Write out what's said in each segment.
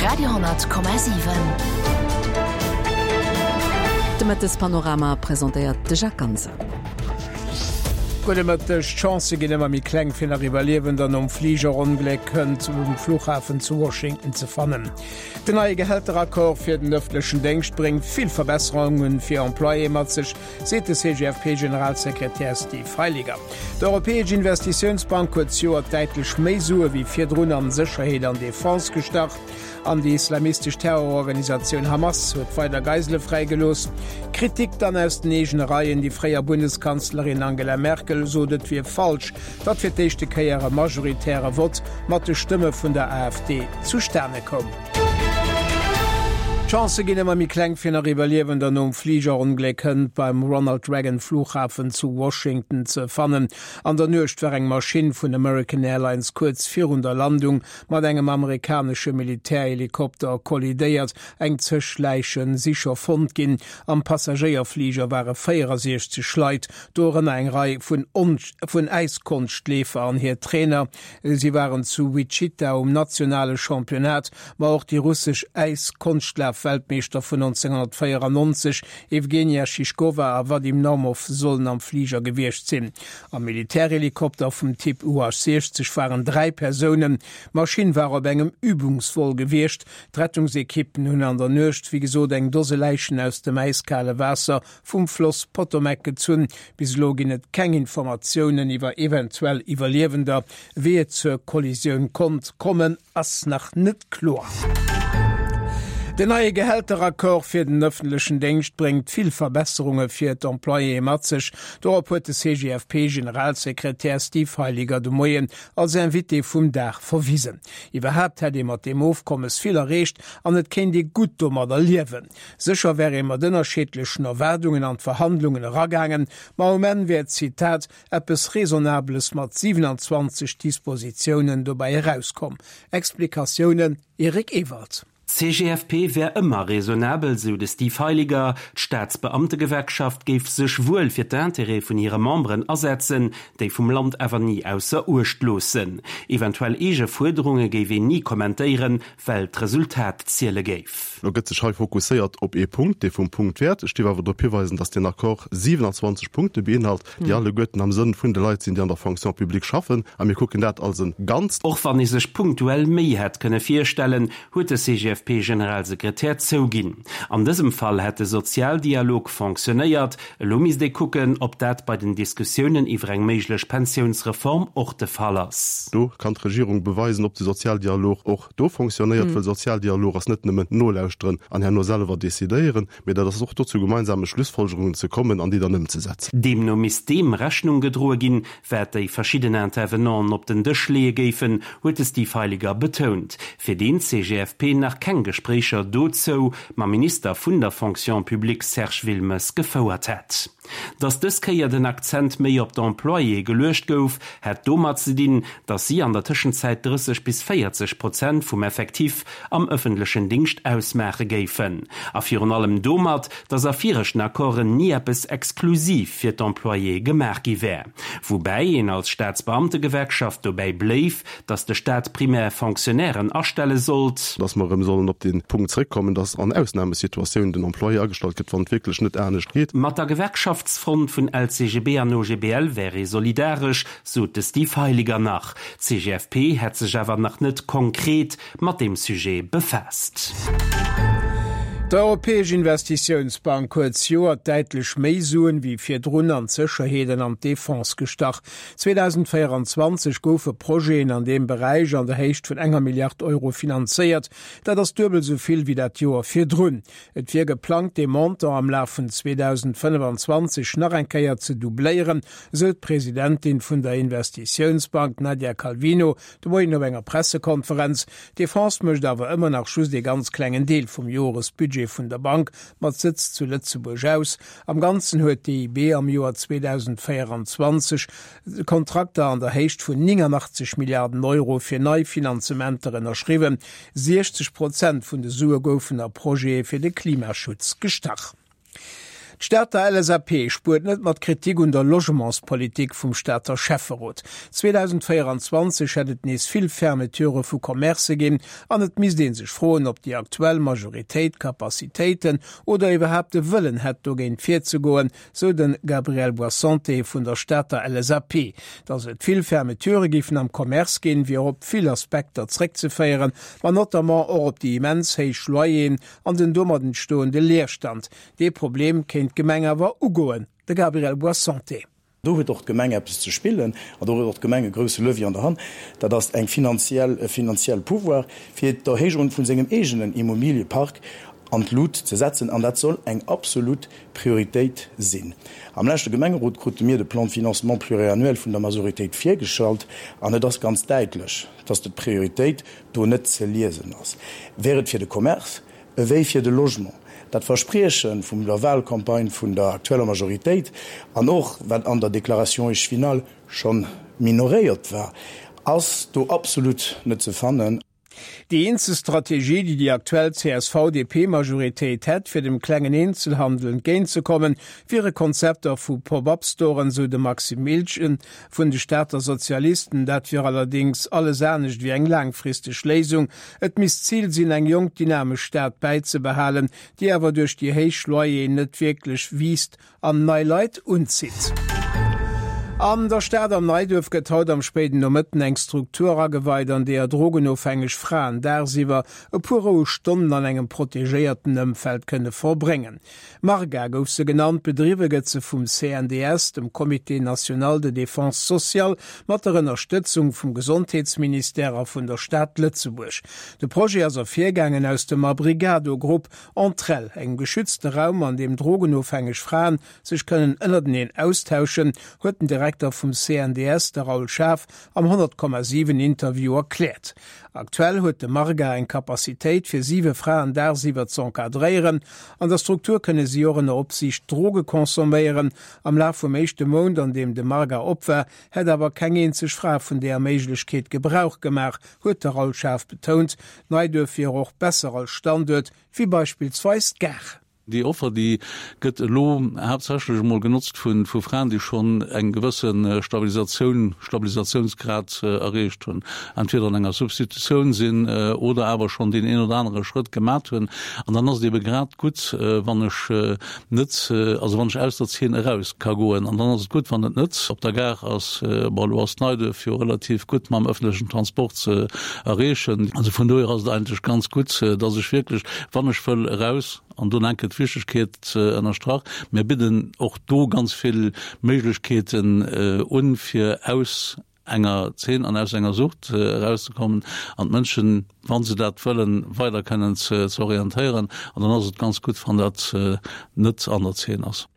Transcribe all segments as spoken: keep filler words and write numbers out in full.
Radio honnert Komma siwen. De Mëttespanorama presentéiert de Jacques Ganser. Gudde Mëtteg, D'Chancë ginn ëmmer méi kleng fir nach Iwwerliewender nom Fligerongléck hënt um Flughafen zu Washington ze fannen. Den neie Gehälteraccord fir den ëffentlechen Déngscht bréngt vill Verbesserunge fir Employéë mat sech, seet de C G F P-Generalsekretär Steve Heiliger. D'Europäesch Investitiounsbank huet zejoert däitlech méi Sue wéi virdrun an Sécherheet an Defense gestach. An déi islamistesch Terrororganisatioun Hamas huet weider Geisele fräigelooss. Kritik dann aus den eegene Reien, déi fréier Bundeskanzlerin Angela Merkel sot et wier falsch, datt fir d'éischte Kéier e majoritäre Vott mat de Stëmme vun der A F D zustane koum. D'Chancë ginn ëmmer méi kleng fir nach Iwwerliewender nom Fligerongléck hënt beim Ronald Reagan Flughafen zu Washington ze fannen. An der Nuecht war eng Maschinn vun American Airlines kuerz virun der Landung mat engem amerikanesche Militärhelikopter kollidéiert. Eng zéng Läiche si scho fonnt ginn. Am Passagéierfliger ware véierundsechzeg Leit, dorënner eng Rei vun, vun Äiskonschtleefer an hir Trainer. Si waren zu Wichita um nationale Championnat, ma och déi russesch Äiskonschtlaf-Weltmeeschter vun nonzénghonnertvéierannonzeg Evgenia Shishkova a Vadim Naumov sollen am Fliger gewiescht sinn. Am Militärhelikopter vum Typ U H sechzeg waren dräi Persounen. D'Maschinn war op engem Übungsvol gewiescht. D'Rettungsekippen hunn an der Nuecht, wéi gesot, eng Dose Läichen aus dem äiskale Waasser vum Floss Potomac gezunn. Bis elo ginn et keng Informatiounen iwwer eventuell Iwwerliewender. Wéi et zur Kollisioun konnt kommen, ass nach net kloer. Den neie Gehälteraccord fir den ëffentlechen Déngscht bréngt vill Verbesserunge fir d'Employéë mat sech. Dorop huet de C G F P-Generalsekretär Steve Heiliger de Moien als Invité vum Dag verwisen. Iwwerhaapt hätt ee mat deem Ofkommes vill erreecht an et kéint ee gutt domadder liewen. Sécher wär ee mat ënnerschiddlechen Erwaardungen an d'Verhandlungen eragaangen, ma um Enn wär, Zitat, eppes Raisonnables mat siewenundzwanzeg Dispositiounen dobäi erauskomm. Explikatiounen Eric Ewald. C G F P wär ëmmer raisonnabel, sou de Steve Heiliger. D'Staatsbeamtegewerkschaft géif sech wuel fir d'Intérêtë vun hire Memberen asetzen, déi vum Land awer ni ausser Uecht loossen. Eventuell eege Fuerderunge géif een ni kommentéieren, well d'Resultat ziele géif. Lo gëtt sech hei fokusséiert op ee Punkt, dee vum Punktwäert. Ech dierf awer drop hiweisen, dass den Accord siewenundzwanzeg Punkte beinhalt, déi alleguerten am Sënn vun de Leit sinn, déi an der Fonction publique schaffen. A mir kucken dat als e Ganzt. Och wann ee sech punktuell méi hätt kënne virstellen, huet de C G F P-Generalsekretär zouginn. An dësem Fall hätt de Sozialdialog fonctionnéiert. Elo misst ee kucken, ob dat bei den Diskussiounen iwwer eng méiglech Pensiounsreform och de Fall ass. Do kann d'Regierung beweisen, ob de Sozialdialog och do fonctionnéiert, well Sozialdialog ass net nëmmen nolauschteren an herno selwer decidéieren, mee dat ass och do zu gemeinsame Schlussfolgerungen ze kommen an déi dann ëmzesetzen. Deemno misst deem Rechnung gedroe ginn, wat déi verschidden Intervenanten op den Dësch leeë géifen, huet de Steve Heiliger betount. Fir deen C G F P nach keng Gespréicher dozou mam Minister vun der Fonction publique Serge Wilmes gefouert hätt. Datt dës Kéier den Akzent méi op d'Employéë geluecht gouf, hätt domat ze dinn, datt si an der Tëschenzäit drësseg bis véierzeg Prozent vum Effektiv am ëffentlechen Dingscht ausmaache géifen. A virun allem domat, datt a viregten Accorden ni eppes exklusiv fir d'Employéë gemaach gi wär. Woubäi een als Staatsbeamtegewerkschaft dobäi bléif, datt de Staat primär Fonctionnairen astelle sollt. Datt mer erëm sollen op den Punkt zréckkommen, datt an Ausnamesituatiounen den Employé agestallt gëtt, wann et wierklech net anescht geet. Mat der Gewerkschaftsfront vun L C G B an O G B L wär ee solidaresch, sot de Steve Heiliger nach. C G F P hätt sech awer nach net konkret mat deem Sujet befaasst. D'Europäesch Investitiounsbank huet zejoert däitlech méi Suen wéi virdrun an d'Sécherheet an d'Defense gestach. zweedausendvéierundzwanzeg goufe Projeten an deem Beräich an der Héicht vun enger Milliard Euro finanzéiert. Dat ass duebel sou vill wéi dat Joer virdrun. Et wier geplangt, de Montant am Laf vun zweedausendfënnefenzwanzeg nach eng Kéier ze doubléieren, sou d'Presidentin vun der Investitiounsbank Nadia Calvino de Moien op enger Pressekonferenz. D'Defense mécht awer ëmmer nach just e ganz klengen Deel vum Joresbudget vun der Bank mat Sëtz zu Lëtzebuerg aus. Am Ganzen huet d'E I B am Joer zweedausendvéierundzwanzeg Kontrakter an der Héicht vun néngannachtzeg Milliarden Euro fir nei Finanzementer ënnerschriwwen. sechzeg Prozent vun de Sue goufen a Projete fir de Klimaschutz gestach. D'Stater LSAP spuert net mat Kritik un der Logementspolitik vum Stater Schäfferot. zweedausendvéieranzwanzeg hätt et nees vill Fermeturë vu Commercë ginn an et misst ee sech froen, ob déi aktuell Majoritéit d'Capacitéiten oder iwwerhaapt de Wëllen hätt, dogéint virzegoen, sou de Gabriel Boissante vun der Stater LSAP. Datt et vill Fermeturë géifen am Commerce ginn, wier op vill Aspekter zréckzeféieren, ma notamment och op déi immens héich Loyeren an den domat entstoende Leerstand. Dee Problem kéint d'Gemeng awer ugoen. De Gabriel Boissante. Do huet och d'Gemeng eppes ze spillen an do huet och d'Gemeng e grousse Levier an der Hand, dat ass eng finanziell, e finanziell Pouvoir, fir d'Erhéijung vun sengem eegenen Immobiliepark an d'Lut ze setzen. An dat soll eng absolut Prioritéit sinn. Am leschte Gemengerot krute mir de Plan de financement pluriannuel vun der Majoritéit virgeschalt an et ass ganz däitlech, dass d'Prioritéit do net ze liesen ass, wär et fir de Commerce ewéi fir de Logement. Dat Versprieche vum der Wahlcampagne vun der aktueller Majoritéit an och wat an der Déclaration échevinale scho minoréiert war, ass do absolut net ze fannen. Déi eenzeg Strategie, déi déi aktuell C S V-D P-Majoritéit hätt, fir dem klengen Eenzelhandel entgéintzekommen, wiere Konzepter vu Pop-up-Storen, sou de Maxime Miltgen vun de Stater Sozialisten. Dat wier allerdéngs alles anescht wéi eng laangfristeg Léisung. Et misst d'Zil sinn, eng jonk dynamesch Stad bäizebehalen, déi awer duerch déi héich Loyeren net wierklech wiisst an nei Leit unzitt. An der Stad am Neiduerf gëtt haut am spéiden Nomëtten eng Struktur ageweit, an deeër drogenofhängeg Fraen dagsiwwer e puer roueg Stonnen an engem protegéierten Ëmfeld kënne verbréngen. Marga gouf se genannt, bedriwwe gëtt se vum C N D S, dem Comité national de défense sociale, mat der Ënnerstëtzung vum Gesondheetsministère a vun der Stad Lëtzebuerg. De Projet ass ervirgaangen aus dem Abrigado-Grupp Entr'elles, engem geschützte Raum, an deem drogenofhängeg Fraen sech kënnen ënnerteneen austauschen, huet den Direkter vum C N D S, de Raoul Schaaf, am honnert Komma siwen Interview erkläert. Aktuell huet de Marga eng Capacitéit fir siwe Fraen dagsiwwer ze encadréieren. An der Struktur kënne si och ënner Opsiicht Droge consomméieren. Am Laf vum éischte Mount, an deem de Marga op war, hätt awer keng eenzeg Fra vun där Méiglechkeet Gebrauch gemaach, huet de Raoul Schaaf betount. Neiduerf wier och besser als Standuert wéi beispillsweis d'Gare. Déi Offer, déi gëtt elo haaptsächlech emol genotzt vu vu Fraen, déi schonn eng gewësse Stabilisatioun, Stabilisatiounsgrad erreecht hunn, entweder an enger Substitutioun sinn oder awer schonn deen een oder anere Schrëtt gemat hunn. An dann ass et ebe grad gutt, wann ech net, also wann ech aus der Zeen eraus ka goen. An dann ass et gutt, wann et net op der Gare ass. Bon, elo ass Neiduerf jo relativ gutt mam öffentlechen Transport ze erreechen. Also vun dohier ass et eigentlech ganz gutt, dass ech wierklech, wann ech wëll eraus, an do enke d'Wichtegkeet ënnerstrach, mir bidden och do ganz vill Méiglechkeeten un, fir aus enger Zeen an aus enger Sucht erauszekommen an d'Mënschen, wa se dat wëllen, weider kënnen ze orientéieren. An dann ass et ganz gutt, wann dat net an der Zeen ass.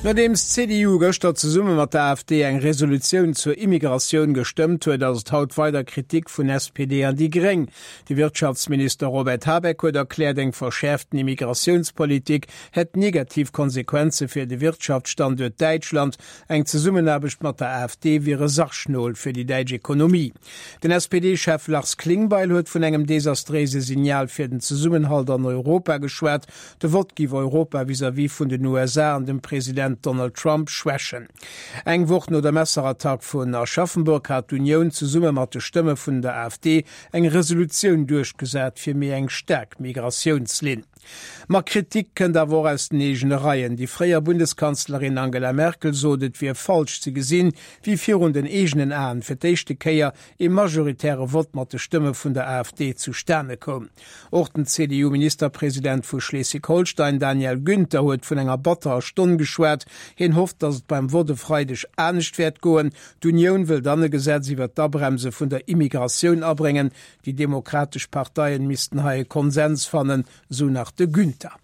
Nodeems d'C D U gëschter zesumme mat der A F D eng Resolutioun zur Immigratioun gestëmmt huet, ass et haut weider Kritik vun S P D an déi Gréng. De Wirtschaftsminister Robert Habeck huet erkläert, eng verschäerften Immigratiounspolitik hätt negativ Konsequenze fir de Wirtschaftsstanduert Däitschland. Eng Zesummenaarbecht mat der A F D wier e Sargnol fir déi däitsch Ekonomie. Den S P D-Chef Lars Klingbeil huet vun engem desastréise Signal fir den Zesummenhalt an Europa geschwat. De Vott géif Europa vis-à-vis vun den U S A an dem President Donald Trump schwächen. Eng Woch no der Messerattack vun Aschaffenburg hat d'Unioun zesumme mat de Stëmme vun der A F D eng Resolutioun duerchgesat fir méi eng staark Migratiounslinn. Ma Kritik kënnt awer och aus den eegene Reien. Déi fréier Bundeskanzlerin Angela Merkel sot, et wier falsch ze gesinn, wéi virun den eegenen Aen fir d'éischte Kéier e majoritäre Vott mat de Stëmme vun der A F D zustane koum. Och den C D U-Ministerpresident vu Schleswig-Holstein Daniel Günther huet vun enger batterer Stonn geschwat. Hien hofft, datt et beim Vott e Freideg anescht wäert goen. D'Unioun wëll dann e Gesetz iwwer d'Abremse vun der Immigratioun abréngen. Déi demokratesch Parteien missten hei e Konsens fannen, sou nach de Günther.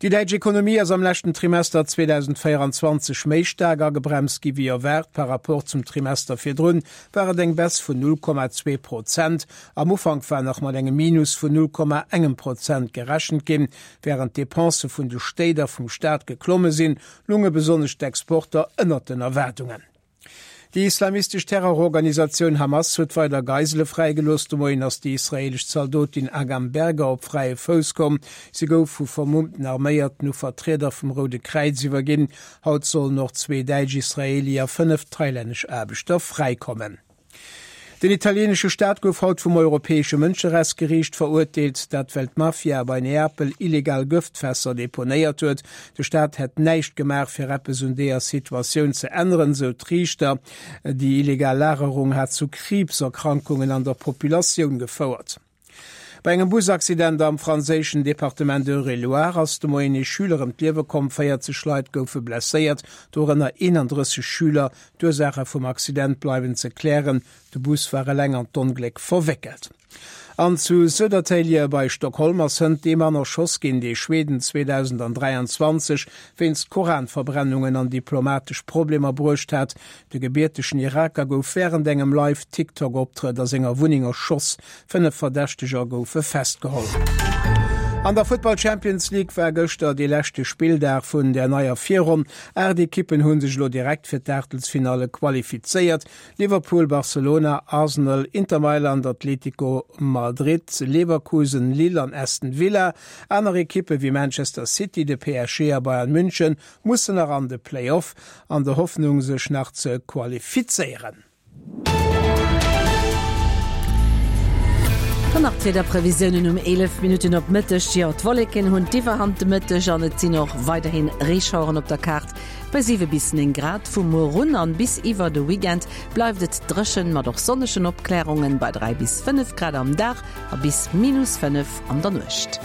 Déi däitsch Ekonomie ass am leschten Trimester zweedausendvéieranzwanzeg méi staark agebremst gi wéi erwaart. Par rapport zum Trimester virdrun war et eng Baisse vun null Komma zwee Prozent. Am Ufank war nach mat engem Minus vun null Komma engem Prozent gerechent ginn. Wärend d'Depensë vun de Stéit a vum Staat geklomme sinn, lounge besonnesch d'Exporter ënnert den Erwaardungen. Déi islamistesch Terrororganisatioun Hamas huet weider Geisele fräigelooss. De Moien ass déi israeelesch Zaldotin Agam Berger op fräie Fouss komm. Si gouf vu vermummten Arméierten u Vertrieder vum Roude Kräiz iwwerginn. Haut sollen och zwee däitsch Israeeli a fënnef thailännesch Aarbechter fräikommen. Den italieenesche Staat gouf haut vum Europäesche Mënscherechtsgeriicht verurteelt, dat well d'Mafia bei Neapel illegal Gëftfässer deponéiert huet. De Staat hätt näischt gemaach, fir eppes un deeër Situatioun ze änneren, sou d'Riichter. Déi illegal Lagerung hat zu Kriibserkrankungen an der Populatioun gefouert. Bei engem Busaccident am franséischen Departement Eure-et-Loir ass de Moien ee Schüler ëm d'Liewe komm. véierzeg Leit goufe blesséiert, dorënner eenandrësseg Schüler. D'Ursaache vum Accident bleiwen ze klären. De Bus war eleng an d'Ongléck verwéckelt. An zu Södertälje bei Stockholm ass hënt dee Mann erschoss ginn, dee Schweden zweedausendanträianzwanzeg wéinst Koranverbrennungen an diplomatesch Problemer bruecht hat. De gebiertegen Iraker gouf wärend engem Live-TikTok-Optrëtt a senger Wunneng erschoss. Fënnef Verdächteger goufe festgeholl. An der Futtball Champions League war gëschter dee leschte Spilldag vun der neier Virronn. Aacht Ekippen hu sech elo direkt fir d'Aachtelsfinalle qualifizéiert, Liverpool, Barcelona, Arsenal, Inter Mailand, Atlético Madrid, Leverkusen, Lille an Aston Villa. Aner Ekippe wéi Manchester City, de P S G a Bayern München mussen nach an de Play-Off, an der Hoffnung sech nach ze qualifizéieren. Dann nach d'Wiederprevisiounen um eelef Minutten op Mëtteg. Jo, d'Wolleken hunn d'Iwwerhand de Mëtteg an et sinn och weiderhi Reeschaueren op der Kaart bei siwe bis néng Grad. Vu muer un an bis iwwer de Weekend bleift et dréchen mat och sonnegen Opklärungen bei dräi bis fënnef Grad am Dag a bis minus fënnef an der Nuecht.